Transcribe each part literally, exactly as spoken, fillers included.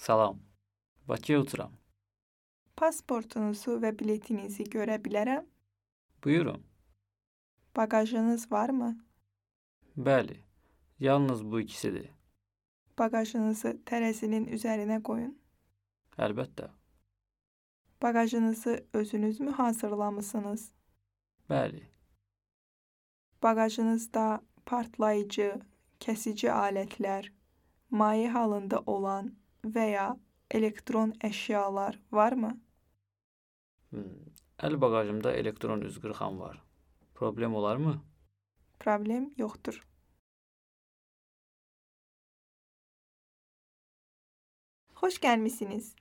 Salam. Bakıya uçuram. Pasportunuzu və biletinizi görə bilərəm? Buyurun. Bagajınız varmı? Bəli, yalnız bu ikisidir. Bagajınızı tərəzinin üzərinə qoyun. Əlbəttə. Bagajınızı özünüzmü hazırlamısınız? Bəli, Bagajınızda partlayıcı, kəsici alətlər, maye halında olan və ya elektron əşyalar varmı? hmm, əl bagajımda elektron üzqırxan var. Problem olarmı? Problem yoxdur. Xoş gəlmisiniz.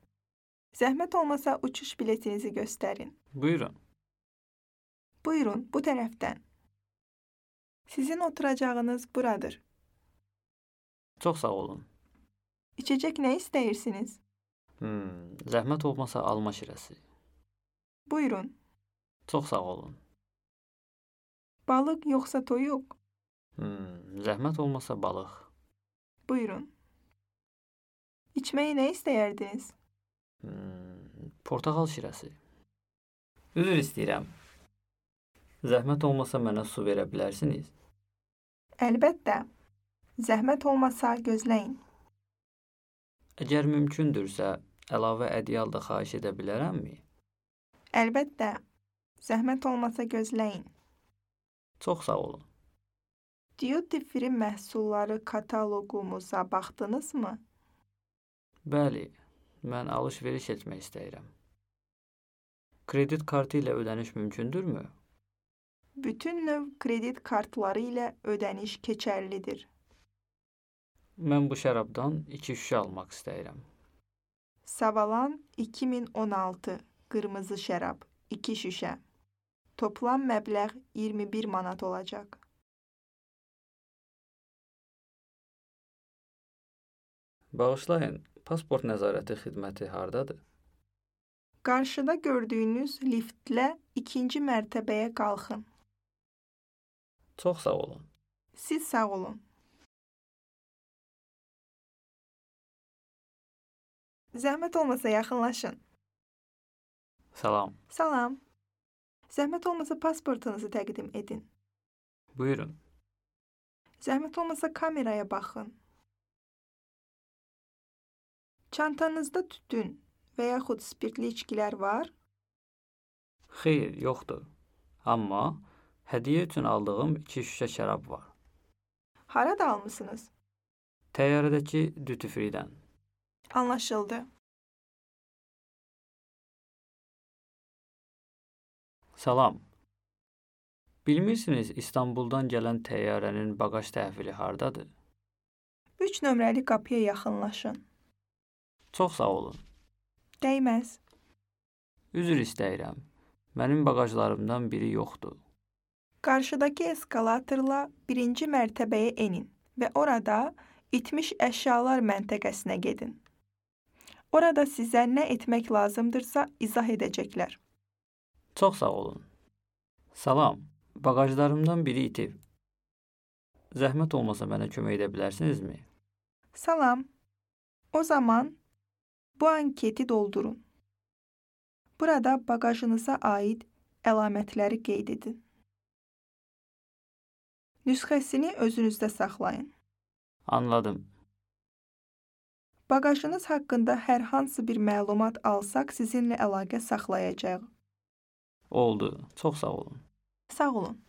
Zəhmət olmasa uçuş biletinizi göstərin. Buyurun. Buyurun, bu tərəfdən. Sizin oturacağınız buradır. Çox sağ olun. İçecək nə istəyirsiniz? Hmm, zəhmət olmasa alma şirəsi. Buyurun. Çox sağ olun. Balıq yoxsa toyuq? Hmm, zəhmət olmasa balıq. Buyurun. İçməyi nə istəyərdiniz? Hmm, portağal şirəsi. Üzr istəyirəm. Zəhmət olmasa mənə su verə bilərsiniz? Əlbəttə. Zəhmət olmasa gözləyin. Əgər mümkündürsə, əlavə ədyal da xahiş edə bilərəmmi? Əlbəttə. Zəhmət olmasa gözləyin. Çox sağ olun. Duty free məhsulları kataloqumuza baxdınızmı? Bəli, mən alış-veriş etmək istəyirəm. Kredit kartı ilə ödəniş mümkündürmü? Bütün növ kredit kartları ilə ödəniş keçərlidir. Mən bu şərabdan iki şüşə almaq istəyirəm. Savalan iki min on altı qırmızı şərab iki şüşə. Toplam məbləğ iyirmi bir manat olacaq. Bağışlayın, pasport nəzarəti xidməti hardadır? Qarşıda gördüyünüz liftlə ikinci mərtəbəyə qalxın. Çox sağ olun. Siz sağ olun. Zəhmət olmasa yaxınlaşın. Salam. Salam. Zəhmət olmasa pasportunuzu təqdim edin. Buyurun. Zəhmət olmasa kameraya baxın. Çantanızda tütün və yaxud spirtli içkilər var? Xeyr, yoxdur. Amma hədiyyə üçün aldığım iki şüşə şərab var. Harada almısınız? Təyyarədəki duty free-dən. Anlaşıldı. Salam. Bilmirsiniz İstanbuldan gələn təyyarənin bagaj təhvili hardadır? üç nömrəli qapıya yaxınlaşın. Çox sağ olun. Dəyməz. Üzr istəyirəm. Mənim bagajlarımdan biri yoxdur. Qarşıdakı eskalatorla birinci mərtəbəyə enin və orada itmiş əşyalar məntəqəsinə gedin. Orada sizə nə etmək lazımdırsa izah edəcəklər. Çox sağ olun. Salam. Bagajlarımdan biri itib. Zəhmət olmasa mənə kömək edə bilərsinizmi? Salam. O zaman bu anketi doldurun. Burada bagajınıza aid əlamətləri qeyd edin. Nüsxəsini özünüzdə saxlayın. Anladım. Bagajınız haqqında hər hansı bir məlumat alsaq sizinlə əlaqə saxlayacağıq. Oldu. Çox sağ olun. Sağ olun.